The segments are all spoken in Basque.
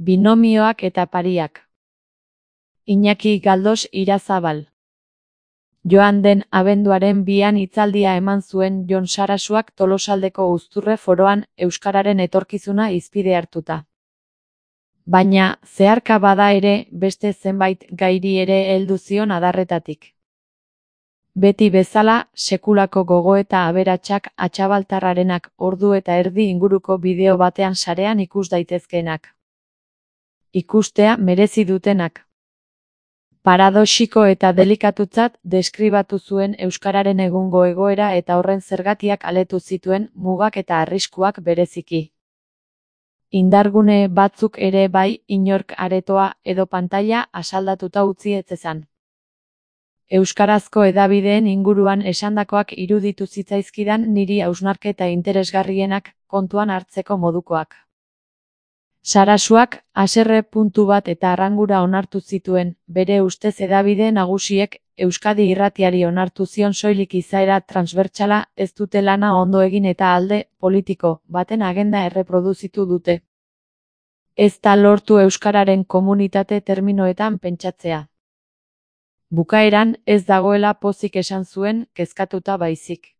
Binomioak eta pariak. Iñaki Galdos Irazabal. Joan den abenduaren 2an hitzaldia eman zuen Jon Sarasuak Tolosaldeko Uzturre Foroan euskararen etorkizuna hizpide hartuta. Baina, zeharka bada ere, beste zenbait gairi ere heldu zion adarretatik. Beti bezala, sekulako gogoeta aberatsak Atxabaltarrarenak ordu eta erdi inguruko bideo batean sarean ikus daitezkeenak. Ikustea merezi dutenak. Paradoxiko eta delikatutzat deskribatu zuen euskararen egungo egoera eta horren zergatiak aletu zituen mugak eta arriskuak bereziki. Indargune batzuk ere bai inork aretoa edo pantaila asaldatuta utzi ez zezan. Euskarazko hedabideen inguruan esandakoak iruditu zitzaizkidan niri hausnarketa interesgarrienak kontuan hartzeko modukoak. Sarasuak haserre puntu bat eta arrangura onartu zituen, bere ustez hedabide nagusiek Euskadi Irratiari onartu zion soilik izaera transbertsala ez dute lana ondo egin eta alde politiko baten agenda erreproduzitu dute. Ez da lortu euskararen komunitate terminoetan pentsatzea. Bukaeran ez dagoela pozik esan zuen, kezkatuta baizik.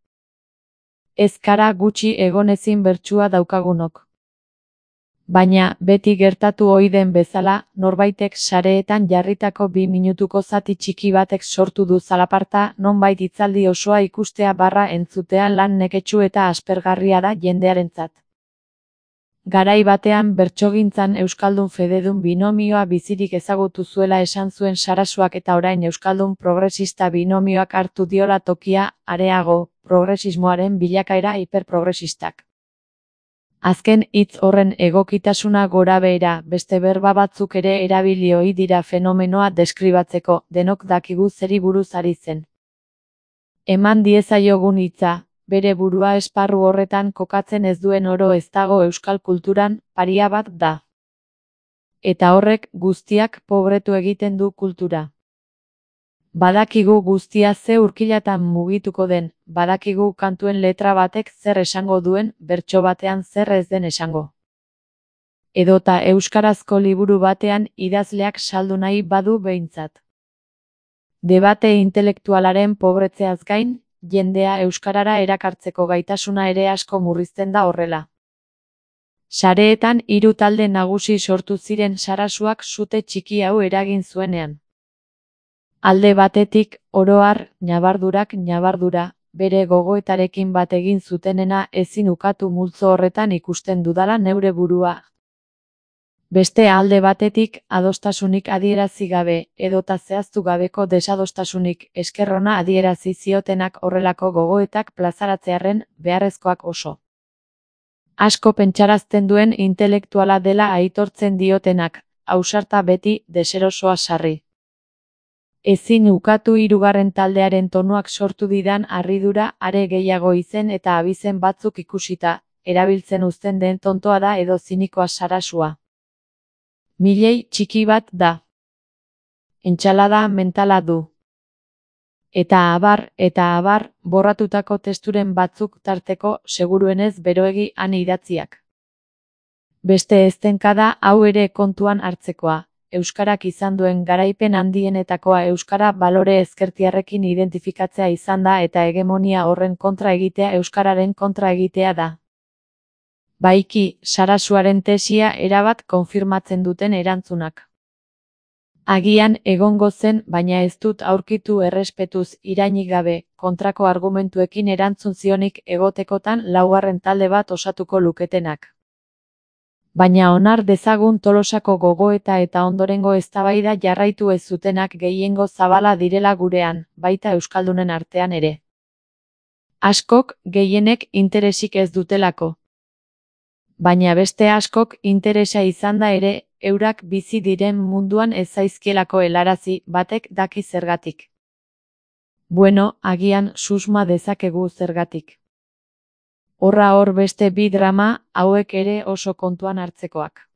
Ez kara gutxi egonezin bertsua daukagunok. Baina, beti gertatu ohi den bezala, norbaitek sareetan jarritako 2 minutuko zati txiki batek sortu du zalaparta, nonbait hitzaldi osoa ikustea / entzutea lan neketsu eta aspergarria da jendearentzat. Garai batean bertsogintzan euskaldun fededun binomioa bizirik ezagutu zuela esan zuen Sarasuak eta orain euskaldun progresista binomioak hartu diola tokia, areago, progresismoaren bilakaera hiperprogresistak. Azken hitz horren egokitasuna gorabehera, beste berba batzuk ere erabili ohi dira fenomenoa deskribatzeko, denok dakigu zeri buruz ari zen. Eman diezaiogun hitza, bere burua esparru horretan kokatzen ez duen oro ez dago euskal kulturan, paria bat da. Eta horrek guztiak pobretu egiten du kultura. Badakigu guztia ze urkilatan mugituko den, badakigu kantuen letra batek zer esango duen, bertso batean zer ez den esango. Edota euskarazko liburu batean idazleak saldu nahi badu behintzat. Debate intelektualaren pobretzeaz gain, jendea euskarara erakartzeko gaitasuna ere asko murrizten da horrela. Sareetan 3 talde nagusi sortu ziren Sarasuak sute txiki hau eragin zuenean. Alde batetik, oro har, ñabardura, bere gogoetarekin bat egin zutenena ezin ukatu multzo horretan ikusten dudala neure burua. Beste alde batetik, adostasunik adierazi gabe, edota zehaztu gabeko desadostasunik esker ona adierazi ziotenak horrelako gogoetak plazaratzearren beharrezkoak oso. Asko pentsarazten duen intelektuala dela aitortzen diotenak, ausarta beti, deserosoa sarri. Ezin ukatu 3. taldearen tonuak sortu didan harridura are gehiago izen eta abizen batzuk ikusita, erabiltzen uzten den tontoa da edo zinikoa Sarasua. Milei txiki bat da. Entsalada mentala du. Eta abar, borratutako testuren batzuk tarteko seguruenez beroegi han idatziak. Beste eztenkada hau ere kontuan hartzekoa. Euskarak izan duen garaipen handienetakoa euskara balore ezkertiarrekin identifikatzea izan da eta hegemonia horren kontra egitea euskararen kontra egitea da. Baiki, Sarasuaren tesia erabat konfirmatzen duten erantzunak. Agian egongo zen, baina ez dut aurkitu errespetuz irainik gabe, kontrako argumentuekin erantzun zionik egotekotan 4. talde bat osatuko luketenak. Baina onar dezagun Tolosako gogoeta eta ondorengo eztabaida jarraitu ez zutenak gehiengo zabala direla gurean, baita euskaldunen artean ere. Askok, gehienek interesik ez dutelako. Baina beste askok interesa izanda ere, eurak bizi diren munduan ez zaizkielako helarazi, batek daki zergatik. Bueno, agian susma dezakegu zergatik. Horra hor beste 2 drama, hauek ere oso kontuan hartzekoak.